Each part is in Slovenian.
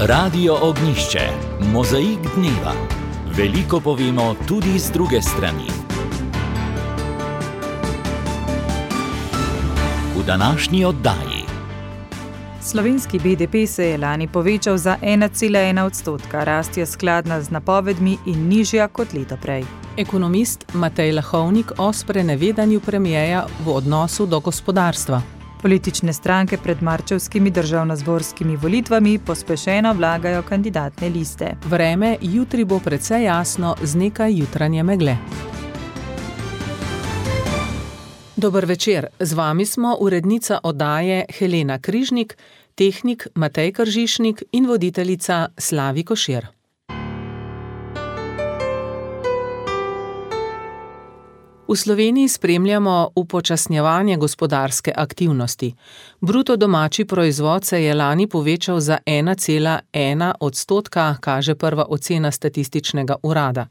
Radio Ognjišče, mozaik dneva. Veliko povemo tudi z druge strani. V današnji oddaji. Slovenski BDP se je lani povečal za 1,1%, rast je skladna z napovedmi in nižja kot leto prej. Ekonomist Matej Lahovnik o sprenevedanju premierja v odnosu do gospodarstva. Politične stranke pred marčevskimi državnozborskimi volitvami pospešeno vlagajo kandidatne liste. Vreme jutri bo precej jasno z nekaj jutranje megle. Dober večer, z vami smo urednica oddaje Helena Križnik, tehnik Matej Kržišnik in voditeljica Slavi Košir. V Sloveniji spremljamo upočasnjevanje gospodarske aktivnosti. Bruto domači proizvod se je lani povečal za 1,1%, kaže prva ocena statističnega urada.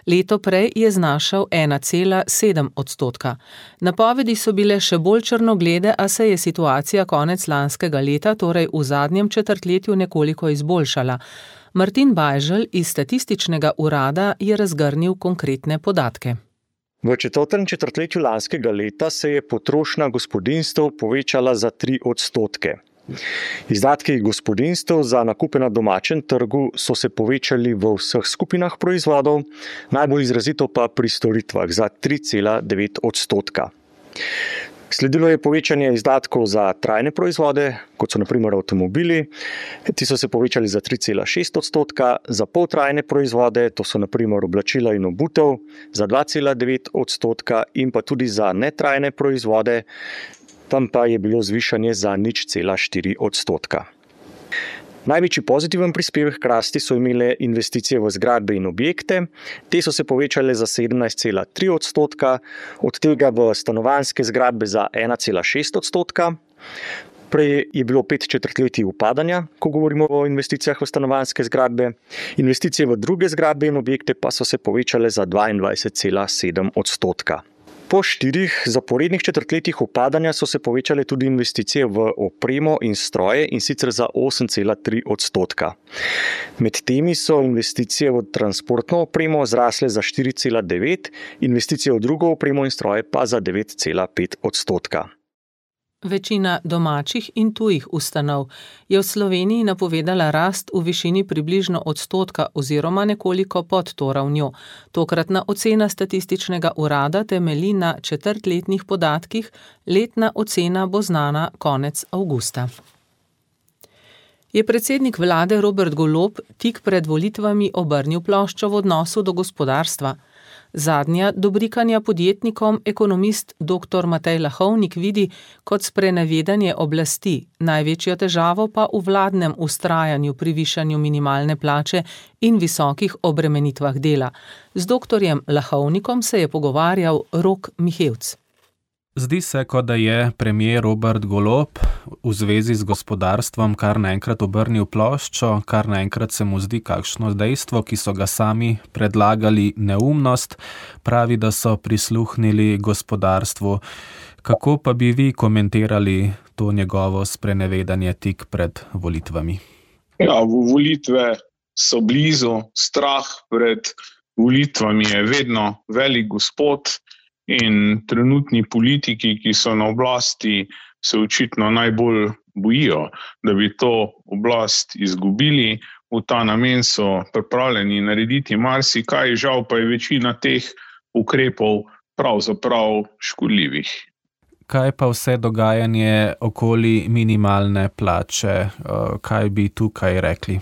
Leto prej je znašal 1,7%. Napovedi so bile še bolj črnoglede, a se je situacija konec lanskega leta, torej v zadnjem četrtletju, nekoliko izboljšala. Martin Bajželj iz statističnega urada je razgrnil konkretne podatke. V četrtem četrtletju lanskega leta se je potrošnja gospodinjstev povečala za 3%. Izdatki gospodinjstev za nakupe na domačem trgu so se povečali v vseh skupinah proizvodov, najbolj izrazito pa pri storitvah za 3,9%. Sledilo je povečanje izdatkov za trajne proizvode, kot so na primer avtomobili. Ti so se povečali za 3,6%, za poltrajne proizvode, to so na primer oblačila in obutev, za 2,9% in pa tudi za netrajne proizvode, tam pa je bilo zvišanje za 0,4%. Največji pozitiven prispevek k rasti so imele investicije v zgradbe in objekte. Te so se povečale za 17,3%, od tega v stanovanjske zgradbe za 1,6%. Prej je bilo 5 četrtletij upadanja, ko govorimo o investicijah v stanovanjske zgradbe. Investicije v druge zgradbe in objekte pa so se povečale za 22,7%. Po 4 zaporednih četrtletjih upadanja so se povečale tudi investicije v opremo in stroje, in sicer za 8,3%. Med temi so investicije v transportno opremo zrasle za 4,9%, investicije v drugo opremo in stroje pa za 9,5%. Večina domačih in tujih ustanov je v Sloveniji napovedala rast v višini približno 1% oziroma nekoliko pod to ravnjo. Tokratna ocena statističnega urada temelji na četrtletnih podatkih, letna ocena bo znana konec avgusta. Je predsednik vlade Robert Golob tik pred volitvami obrnil ploščo v odnosu do gospodarstva. Zadnja dobrikanja podjetnikom ekonomist dr. Matej Lahovnik vidi kot sprenevedanje oblasti, največjo težavo pa v vladnem vztrajanju pri višanju minimalne plače in visokih obremenitvah dela. Z doktorjem Lahovnikom se je pogovarjal Rok Mihevc. Zdi se, kot da je premier Robert Golob v zvezi z gospodarstvom kar naenkrat obrnil ploščo, kar naenkrat se mu zdi kakšno dejstvo, ki so ga sami predlagali, neumnost, pravi, da so prisluhnili gospodarstvu. Kako pa bi vi komentirali to njegovo sprenevedanje tik pred volitvami? Ja, volitve so blizu, strah pred volitvami je vedno velik gospod. In trenutni politiki, ki so na oblasti, se očitno najbolj bojijo, da bi to oblast izgubili. V ta namen so pripravljeni narediti marsikaj, žal pa je večina teh ukrepov pravzaprav škodljivih. Kaj pa vse dogajanje okoli minimalne plače? Kaj bi tukaj rekli?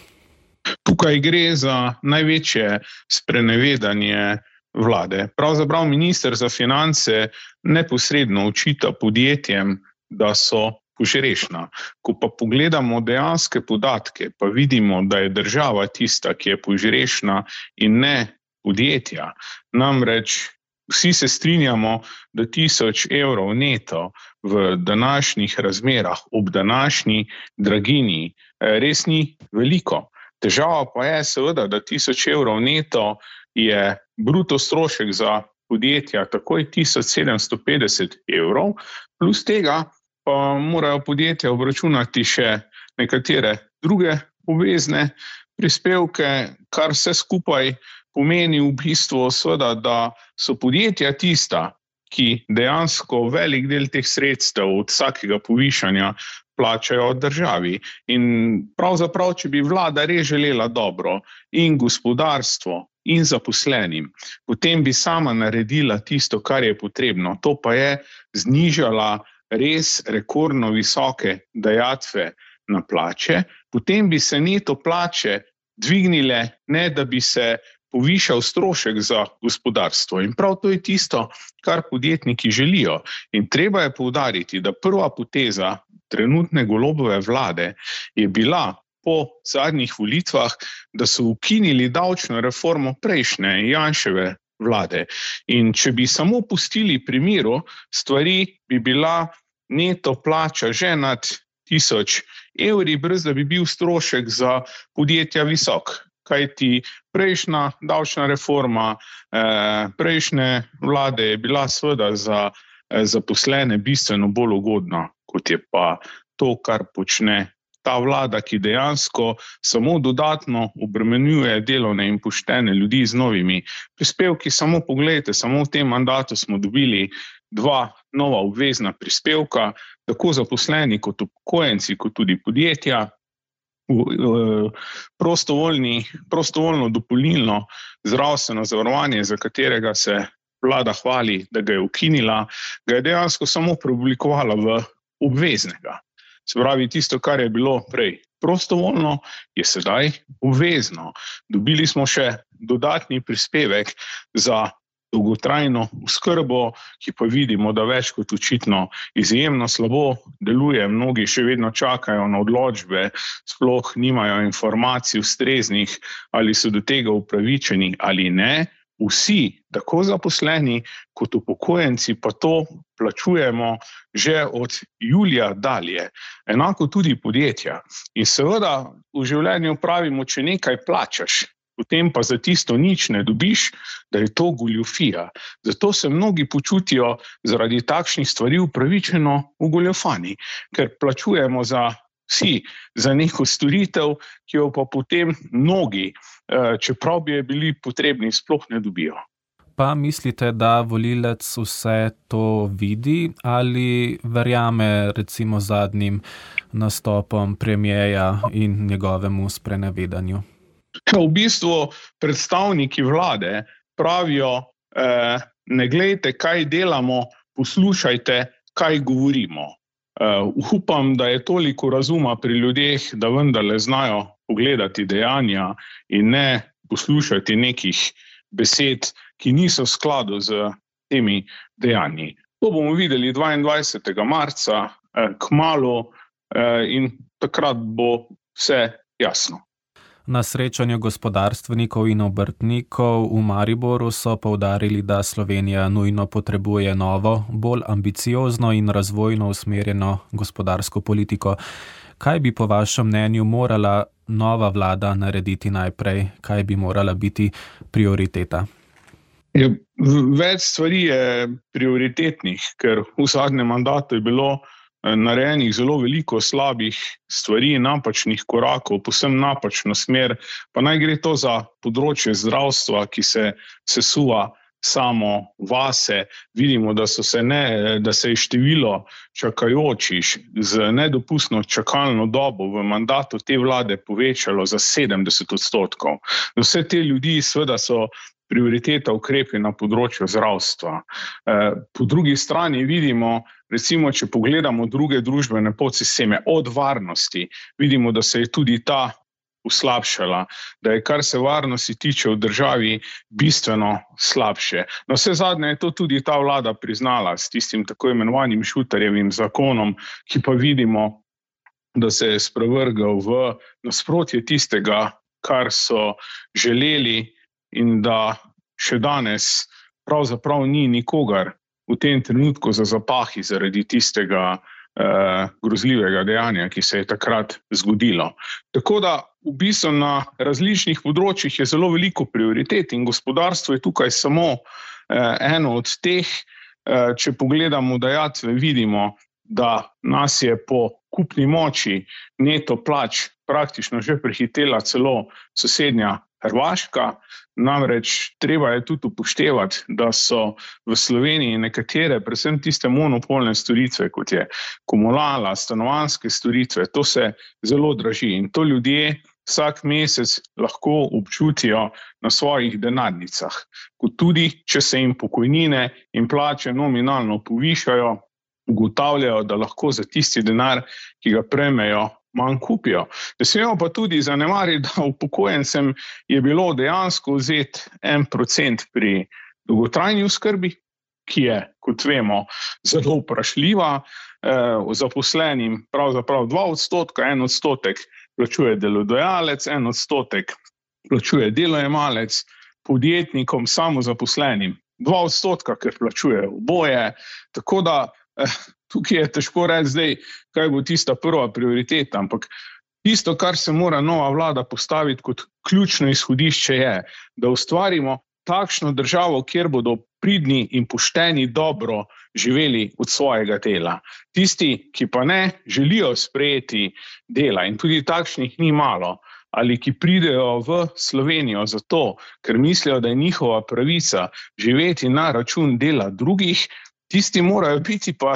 Tukaj gre za največje sprenevedanje vlade. Pravzaprav minister za finance neposredno očita podjetjem, da so požrešna. Ko pa pogledamo dejanske podatke, pa vidimo, da je država tista, ki je požrešna in ne podjetja. Namreč vsi se strinjamo, da 1000 evrov neto v današnjih razmerah, ob današnji draginji, res ni veliko. Težava pa je seveda, da 1000 evrov neto je bruto strošek za podjetja takoj 1750 evrov, plus tega pa morajo podjetja obračunati še nekatere druge obvezne prispevke, kar vse skupaj pomeni v bistvu seveda, da so podjetja tista, ki dejansko velik del teh sredstev od vsakega povišanja plačajo državi. In pravzaprav, če bi vlada res želela dobro in gospodarstvo in zaposlenim, potem bi sama naredila tisto, kar je potrebno. To pa je znižala res rekordno visoke dajatve na plače, potem bi se neto plače dvignile, ne da bi se povišal strošek za gospodarstvo. In prav to je tisto, kar podjetniki želijo. In treba je poudariti, da prva poteza trenutne Golobove vlade je bila po zadnjih volitvah, da so ukinili davčno reformo prejšnje Janševe vlade. In če bi samo pustili pri miru, stvari bi bila neto plača že nad 1000 evri, brez da bi bil strošek za podjetja visok. Kajti prejšnja davčna reforma prejšnje vlade je bila seveda za zaposlene bistveno bolj ugodna, kot je pa to, kar počne ta vlada, ki dejansko samo dodatno obremenjuje delovne in poštene ljudi z novimi prispevki. Samo poglejte, samo v tem mandatu smo dobili 2 nova obvezna prispevka, tako zaposleni kot upokojenci, kot tudi podjetja. Prostovoljno dopolnilno zdravstveno zavarovanje, za katerega se vlada hvali, da ga je ukinila, ga je dejansko samo preoblikovala v obveznega. Se pravi, tisto, kar je bilo prej prostovoljno, je sedaj obvezno. Dobili smo še dodatni prispevek za dolgotrajno oskrbo, ki pa vidimo, da več kot očitno izjemno slabo deluje. Mnogi še vedno čakajo na odločbe, sploh nimajo informacij ustreznih, ali so do tega upravičeni ali ne. Vsi, tako zaposleni kot upokojenci, pa to plačujemo že od julija dalje. Enako tudi podjetja. In seveda v življenju pravimo, če nekaj plačaš, potem pa za tisto nič ne dobiš, da je to goljufija. Zato se mnogi počutijo zaradi takšnih stvari upravičeno ugoljufani, ker plačujemo vsi za neko storitev, ki jo pa potem mnogi, čeprav bi je bili potrebni, sploh ne dobijo. Pa mislite, da volilec vse to vidi ali verjame recimo zadnjim nastopom premierja in njegovemu sprenevedanju? V bistvu predstavniki vlade pravijo, ne glejte, kaj delamo, poslušajte, kaj govorimo. Upam, da je toliko razuma pri ljudeh, da vendarle znajo pogledati dejanja in ne poslušati nekih besed, ki niso v skladu z temi dejanji. To bomo videli 22. marca, kmalu, in takrat bo vse jasno. Na srečanju gospodarstvenikov in obrtnikov v Mariboru so poudarili, da Slovenija nujno potrebuje novo, bolj ambiciozno in razvojno usmerjeno gospodarsko politiko. Kaj bi po vašem mnenju morala nova vlada narediti najprej? Kaj bi morala biti prioriteta? Več stvari je prioritetnih, ker v zadnjem mandatu je bilo narejenih zelo veliko slabih stvari, napačnih korakov, povsem napačno smer, pa naj gre to za področje zdravstva, ki se sesuva samo vase. Vidimo, da se je število čakajočih z nedopustno čakalno dobo v mandatu te vlade povečalo za 70%. Vse te ljudi seveda so prioriteta ukrepi na področju zdravstva. Po drugi strani vidimo, recimo, če pogledamo druge družbene podsisteme od varnosti, vidimo, da se je tudi ta uslabšala, da je, kar se varnosti tiče v državi, bistveno slabše. Na vse zadnje je to tudi ta vlada priznala s tistim tako imenovanim Šutarjevim zakonom, ki pa vidimo, da se je sprevrgal v nasprotje tistega, kar so želeli, in da še danes pravzaprav ni nikogar v tem trenutku za zapahi zaradi tistega grozljivega dejanja, ki se je takrat zgodilo. Tako da v bistvu na različnih področjih je zelo veliko prioritet in gospodarstvo je tukaj samo eno od teh. Če pogledamo dajatve, vidimo, da nas je po kupni moči neto plač praktično že prehitela celo sosednja Hrvaška. Namreč treba je tudi upoštevati, da so v Sloveniji nekatere, predvsem tiste monopolne storitve, kot je komunala, stanovanjske storitve, to se zelo draži in to ljudje vsak mesec lahko občutijo na svojih denarnicah. Kot tudi, če se jim pokojnine in plače nominalno povišajo, ugotavljajo, da lahko za tisti denar, ki ga prejmejo, manj kupijo. Ne smemo pa tudi zanemariti, da upokojencem je bilo dejansko vzeti 1% pri dolgotrajni oskrbi, ki je, kot vemo, zelo vprašljiva, zaposlenim pravzaprav 2%, 1% plačuje delodajalec, 1% plačuje delojemalec, podjetnikom, samozaposlenim 2%, ker plačujejo oboje, tako da tukaj je težko reči zdaj, kaj bo tista prva prioriteta, ampak tisto, kar se mora nova vlada postaviti kot ključno izhodišče je, da ustvarimo takšno državo, kjer bodo pridni in pošteni dobro živeli od svojega dela. Tisti, ki pa ne želijo sprejeti dela in tudi takšnih ni malo, ali ki pridejo v Slovenijo zato, ker mislijo, da je njihova pravica živeti na račun dela drugih, tisti morajo biti pa,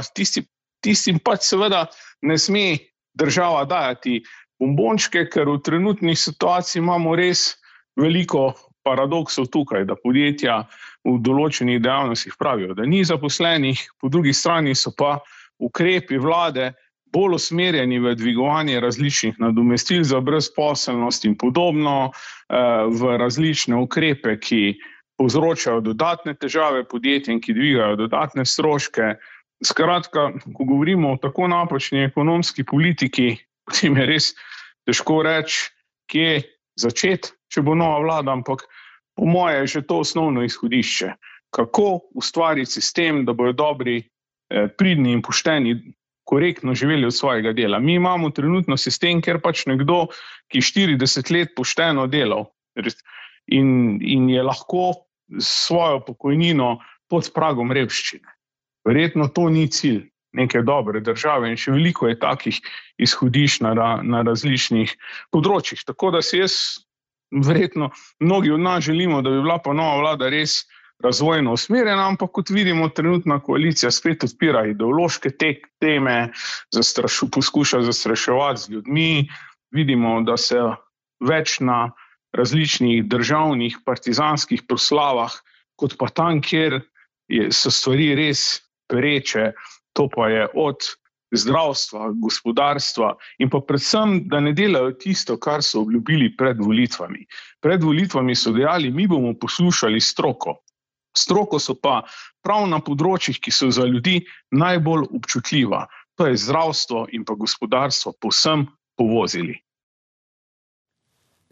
tistim pač seveda ne sme država dajati bombončke, ker v trenutni situaciji imamo res veliko paradoksov tukaj, da podjetja v določenih dejavnostih pravijo, da ni zaposlenih, po drugi strani so pa ukrepi vlade bolj usmerjeni v dvigovanje različnih nadomestil za brezposelnost in podobno, v različne ukrepe, ki povzročajo dodatne težave podjetjem, ki dvigajo dodatne stroške. Skratka, ko govorimo o tako napačni ekonomski politiki, potem je res težko reči, kje začeti, če bo nova vlada, ampak po moje je že to osnovno izhodišče. Kako ustvariti sistem, da bodo dobri, pridni in pošteni, korektno živeli od svojega dela. Mi imamo trenutno sistem, kjer pač nekdo, ki 40 let pošteno delal in je lahko svojo pokojnino pod pragom revščine. Verjetno to ni cilj neke dobre države in še veliko je takih izhodišč na različnih področjih. Tako da si jaz, verjetno, mnogi od nas želimo, da bi bila pa nova vlada res razvojno usmerjena, ampak kot vidimo, trenutna koalicija spet odpira ideološke teme, poskuša zastraševati z ljudmi, vidimo, da se več na različnih državnih partizanskih proslavah, kot pa tam, kjer so stvari res pereče, to pa je od zdravstva, gospodarstva in pa predvsem, da ne delajo tisto, kar so obljubili pred volitvami. Pred volitvami so dejali, mi bomo poslušali stroko. Stroko so pa prav na področjih, ki so za ljudi najbolj občutljiva. To je zdravstvo in pa gospodarstvo povsem povozili.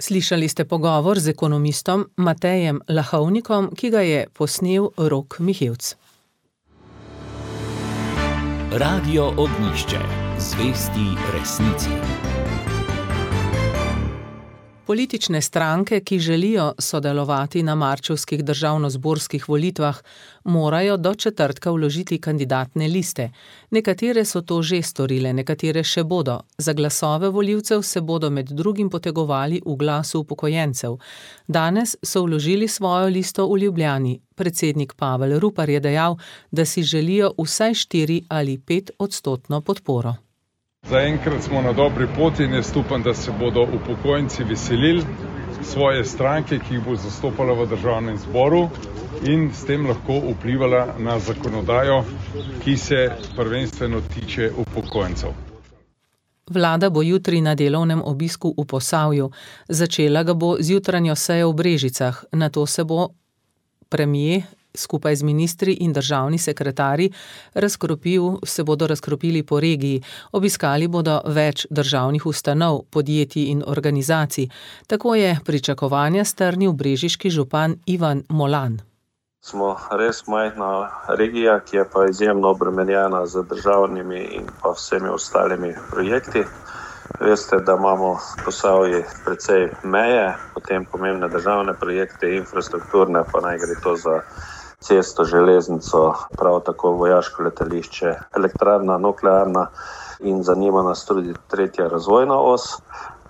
Slišali ste pogovor z ekonomistom Matejem Lahovnikom, ki ga je posnel Rok Mihevc. Radio Ognjišče. Zvesti resnici. Politične stranke, ki želijo sodelovati na marčevskih državnozborskih volitvah, morajo do četrtka vložiti kandidatne liste. Nekatere so to že storile, nekatere še bodo. Za glasove volivcev se bodo med drugim potegovali v Glasu upokojencev. Danes so vložili svojo listo v Ljubljani. Predsednik Pavel Rupar je dejal, da si želijo vsaj 4 ali 5% podporo. Zaenkrat smo na dobri poti in jaz upam, da se bodo upokojenci veselili svoje stranke, ki jih bo zastopala v državnem zboru in s tem lahko vplivala na zakonodajo, ki se prvenstveno tiče upokojencev. Vlada bo jutri na delovnem obisku v Posavju. Začela ga bo z jutranjo sejo v Brežicah. Nato se bo premier skupaj z ministri in državni sekretarji se bodo razkropili po regiji. Obiskali bodo več državnih ustanov, podjetij in organizacij. Tako je pričakovanja strnil brežiški župan Ivan Molan. Smo res majhna regija, ki je pa izjemno obremenjena z državnimi in pa vsemi ostalimi projekti. Veste, da imamo v Posavji precej meje, potem pomembne državne projekte, infrastrukturne, pa naj gre to za cesto, železnico, prav tako vojaško letališče, elektrarna, nuklearna in zanima nas tudi 3. razvojna os.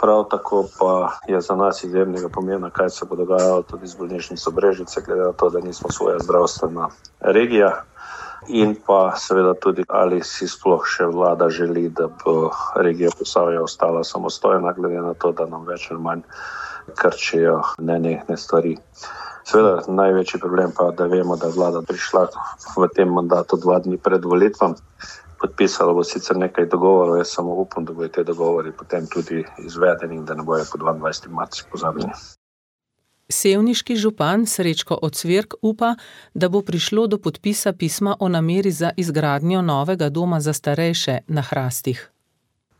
Prav tako pa je za nas izjemnega pomena, kaj se bo dogajalo tudi z bolnišnico Brežice, glede na to, da nismo svoja zdravstvena regija. In pa seveda tudi, ali si sploh še vlada želi, da bo regija Posavje ostala samostojna, glede na to, da nam več ali manj krčijo nenehne stvari. Seveda največji problem pa, da vemo, da je vlada prišla v tem mandatu 2 dni pred volitvam. Podpisalo bo sicer nekaj dogovorov, jaz samo upam, da bodo te dogovori potem tudi izvedeni in da ne bojo po 22. marcu pozabljeni. Sevniški župan Srečko Ocvirk upa, da bo prišlo do podpisa pisma o nameri za izgradnjo novega doma za starejše na Hrastih.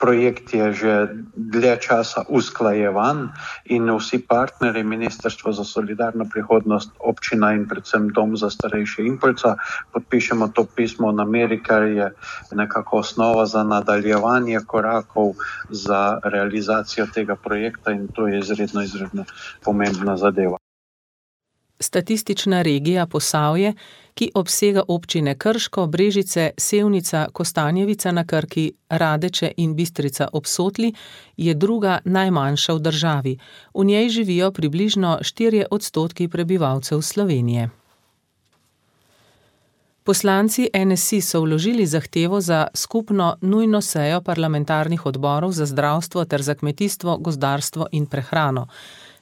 Projekt je že dlje časa usklajevan in vsi partnerji, Ministrstvo za solidarno prihodnost, občina in predvsem Dom za starejše Impulca, podpišemo to pismo o nameri, kar je nekako osnova za nadaljevanje korakov za realizacijo tega projekta in to je izredno pomembna zadeva. Statistična regija Posavje, ki obsega občine Krško, Brežice, Sevnica, Kostanjevica na Krki, Radeče in Bistrica ob Sotli, je druga najmanjša v državi. V njej živijo približno 4% prebivalcev Slovenije. Poslanci NSI so vložili zahtevo za skupno nujno sejo parlamentarnih odborov za zdravstvo ter za kmetijstvo, gozdarstvo in prehrano.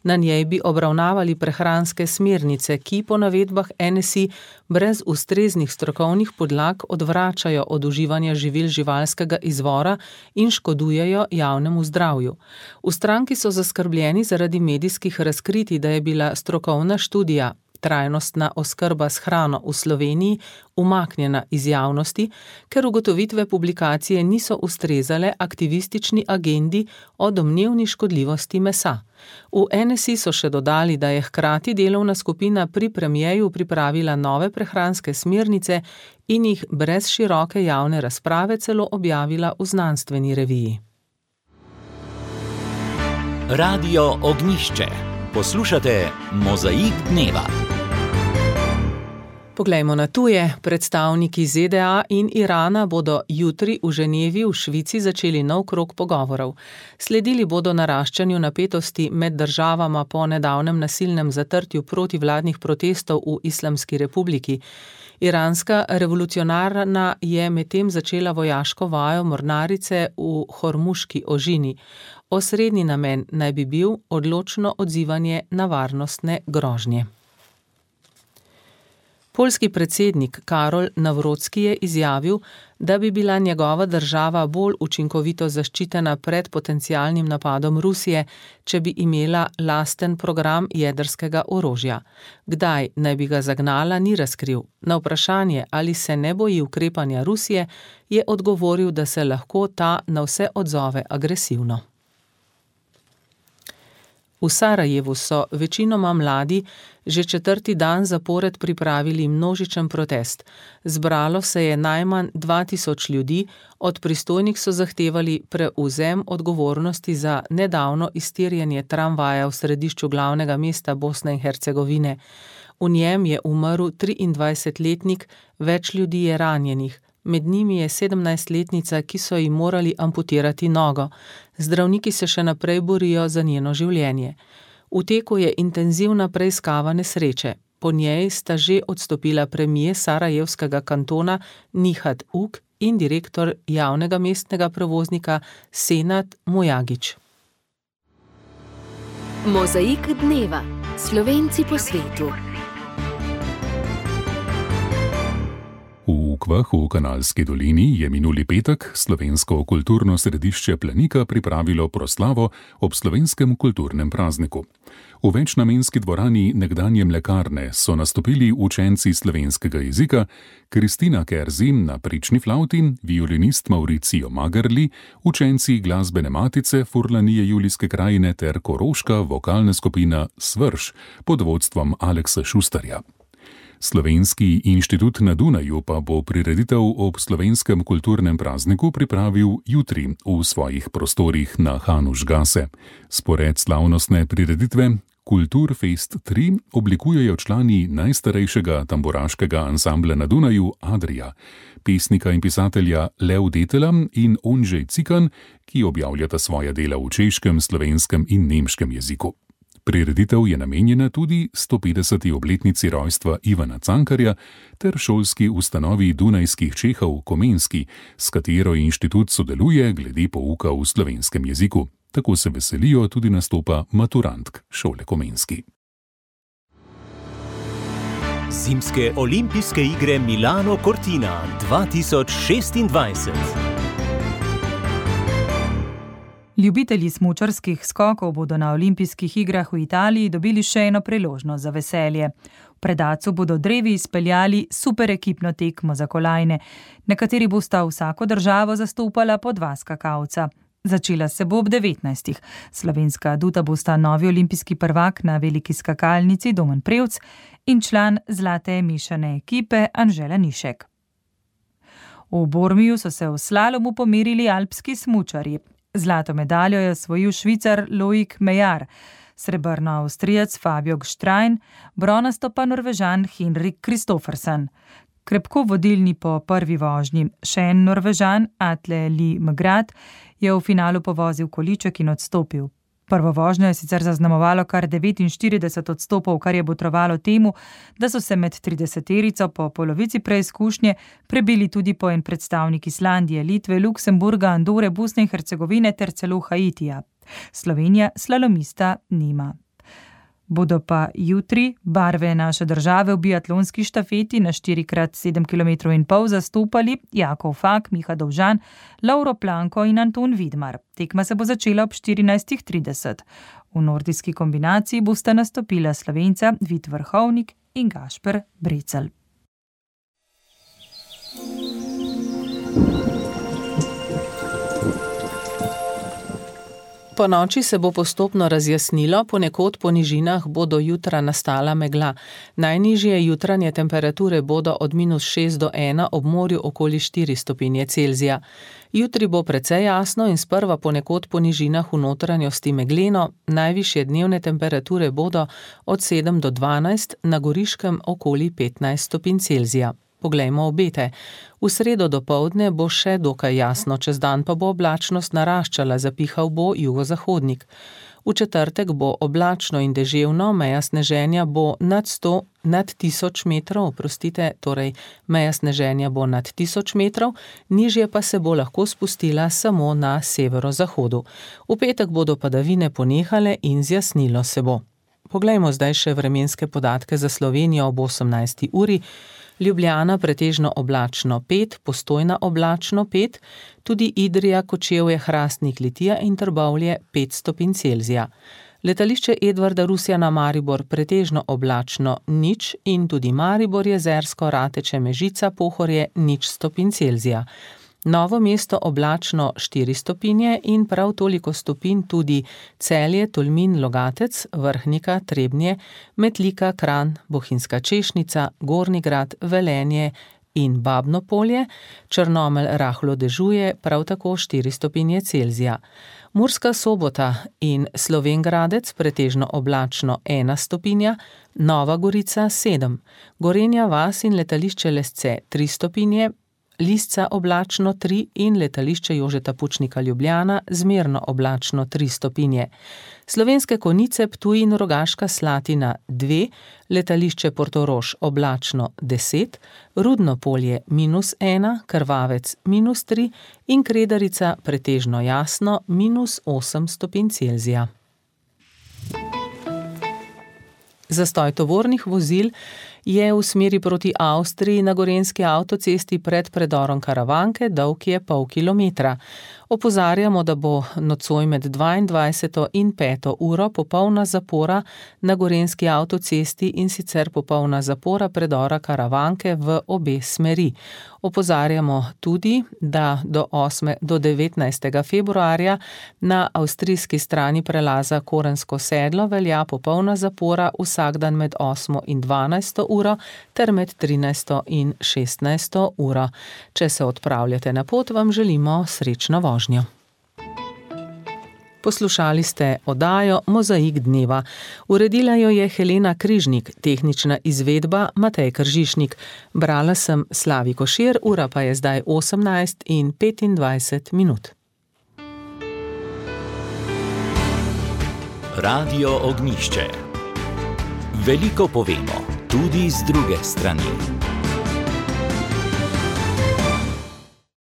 Na njej bi obravnavali prehranske smernice, ki po navedbah NSI brez ustreznih strokovnih podlag odvračajo od uživanja živil živalskega izvora in škodujejo javnemu zdravju. V stranki so zaskrbljeni zaradi medijskih razkritij, da je bila strokovna študija Trajnostna oskrba s hrano v Sloveniji umaknjena iz javnosti, ker ugotovitve publikacije niso ustrezale aktivistični agendi o domnevni škodljivosti mesa. V NSI so še dodali, da je hkrati delovna skupina pri premierju pripravila nove prehranske smernice in jih brez široke javne razprave celo objavila v znanstveni reviji. Radio Ognjišče. Poslušate Mozaik dneva. Poglejmo na tuje. Predstavniki ZDA in Irana bodo jutri v Ženevi v Švici začeli nov krog pogovorov. Sledili bodo naraščanju napetosti med državama po nedavnem nasilnem zatrtju protivladnih protestov v Islamski republiki. Iranska revolucionarna je medtem začela vojaško vajo mornarice v Hormuški ožini. Osrednji namen naj bi bil odločno odzivanje na varnostne grožnje. Poljski predsednik Karol Nawrocki je izjavil, da bi bila njegova država bolj učinkovito zaščitena pred potencialnim napadom Rusije, če bi imela lasten program jedrskega orožja. Kdaj naj bi ga zagnala, ni razkril. Na vprašanje, ali se ne boji ukrepanja Rusije, je odgovoril, da se lahko ta na vse odzove agresivno. V Sarajevu so večinoma mladi že 4. dan zapored pripravili množičen protest. Zbralo se je najmanj 2000 ljudi, od pristojnih so zahtevali prevzem odgovornosti za nedavno iztirjanje tramvaja v središču glavnega mesta Bosne in Hercegovine. V njem je umrl 23-letnik, več ljudi je ranjenih. Med njimi je 17-letnica, ki so ji morali amputirati nogo. Zdravniki se še naprej borijo za njeno življenje. V teku je intenzivna preiskava nesreče. Po njej sta že odstopila premijer sarajevskega kantona Nihat Uk in direktor javnega mestnega prevoznika Senad Mujagić. Mozaik dneva. Slovenci po svetu. V Ukvah v Kanalski dolini je minuli petek slovensko kulturno središče Planika pripravilo proslavo ob slovenskem kulturnem prazniku. V večnamenski dvorani nekdanje mlekarne so nastopili učenci slovenskega jezika, Kristina Kerzin na prični flavti, violinist Mauricio Magarli, učenci glasbene matice Furlanije Julijske krajine ter koroška vokalna skupina Svrš pod vodstvom Aleksa Šustarja. Slovenski inštitut na Dunaju pa bo prireditev ob slovenskem kulturnem prazniku pripravil jutri v svojih prostorih na Hanušgase. Spored slavnostne prireditve Kulturfest 3 oblikujejo člani najstarejšega tamburaškega ansambla na Dunaju Adria, pesnika in pisatelja Lev Detela in Ondřej Cikan, ki objavljata svoja dela v češkem, slovenskem in nemškem jeziku. Prireditev je namenjena tudi 150. obletnici rojstva Ivana Cankarja ter šolski ustanovi Dunajskih Čehov Komenski, s katero inštitut sodeluje glede pouka v slovenskem jeziku. Tako se veselijo tudi nastopa maturantk šole Komenski. Zimske olimpijske igre Milano Cortina 2026. Ljubitelji smučarskih skokov bodo na olimpijskih igrah v Italiji dobili še eno priložnost za veselje. V Predacu bodo drevi izpeljali super ekipno tekmo za kolajne, na kateri bosta vsako državo zastopala po 2 skakalca. Začela se bo ob 19. Slovenska aduta bosta novi olimpijski prvak na veliki skakalnici Domen Prevc in član zlate mešane ekipe Anžela Nišek. V Bormiju so se v slalomu pomerili alpski smučarji. Zlato medaljo je osvojil Švicar Loic Mejar, srebrno Avstrijec Fabio Gštrein, bronasto pa Norvežan Henrik Kristoffersen. Krepko vodilni po prvi vožnji. Še en Norvežan, Atle Lie Megrad, je v finalu povozil količek in odstopil. Prvo vožnjo je sicer zaznamovalo kar 49 odstopov, kar je botrovalo temu, da so se med 30-terico po polovici preizkušnje prebili tudi po en predstavnik Islandije, Litve, Luksemburga, Andore, Bosne in Hercegovine ter celo Haitija. Slovenija slalomista nima. Bodo pa jutri barve naše države v biatlonski štafeti na 4x7,5 km zastopali Jakov Fak, Miha Dovžan, Lauro Planko in Anton Vidmar. Tekma se bo začela ob 14:30. V nordijski kombinaciji bosta nastopila Slovenca Vid Vrhovnik in Gašper Brecelj. Po noči se bo postopno razjasnilo, ponekod po nižinah bodo jutra nastala megla. Najnižje jutranje temperature bodo od -6 do 1, ob morju okoli 4 stopinje Celzija. Jutri bo precej jasno in sprva ponekod po nižinah v notranjosti megleno, najvišje dnevne temperature bodo od 7 do 12, na Goriškem okoli 15 stopinj Celzija. Poglejmo obete. V sredo dopoldne bo še dokaj jasno, čez dan pa bo oblačnost naraščala, zapihal bo jugozahodnik. V četrtek bo oblačno in deževno, meja sneženja bo nad 1000 metrov, torej meja sneženja bo nad 1000 metrov, nižje pa se bo lahko spustila samo na severozahodu. V petek bodo padavine ponehale in zjasnilo se bo. Poglejmo zdaj še vremenske podatke za Slovenijo ob 18. uri. Ljubljana pretežno oblačno 5, Postojna oblačno 5, tudi Idrija, Kočevje, Hrastnik, Litija in Trbovlje 5 stopinj Celzija. Letališče Edvarda Rusjana Maribor pretežno oblačno 0 in tudi Maribor, Jezersko, Rateče, Mežica, Pohorje 0 stopinj Celzija. Novo mesto oblačno 4 stopinje in prav toliko stopinj tudi Celje, Tolmin, Logatec, Vrhnika, Trebnje, Metlika, Kranj, Bohinjska Češnica, Gornji Grad, Velenje in Babno Polje, Črnomelj rahlo dežuje, prav tako 4 stopinje Celzija. Murska Sobota in Slovenj Gradec pretežno oblačno 1 stopinja, Nova Gorica 7, Gorenja vas in letališče Lesce 3 stopinje, Lisca oblačno 3 in letališče Jožeta Pučnika Ljubljana zmerno oblačno 3 stopinje. Slovenske Konjice, Ptuj in Rogaška Slatina 2, letališče Portorož oblačno 10, Rudno Polje -1, Krvavec -3 in Kredarica pretežno jasno -8 stopinj Celzija. Zastoj tovornih vozil je v smeri proti Avstriji na gorenjski avtocesti pred predorom Karavanke, dolg je pol kilometra. Opozarjamo, da bo nocoj med 22. in 5. uro popolna zapora na gorenjski avtocesti in sicer popolna zapora predora Karavanke v obe smeri. Opozarjamo tudi, da do 19. februarja na avstrijski strani prelaza Korensko sedlo velja popolna zapora vsak dan med 8. in 12. uro ter med 13. in 16. uro. Če se odpravljate na pot, vam želimo srečno vožnjo. Poslušali ste oddajo Mozaik dneva. Uredila jo je Helena Križnik, tehnična izvedba Matej Kržišnik. Brala sem Slavi Košir, ura pa je zdaj 18:25. Radio Ognjišče. Veliko povemo, tudi z druge strani.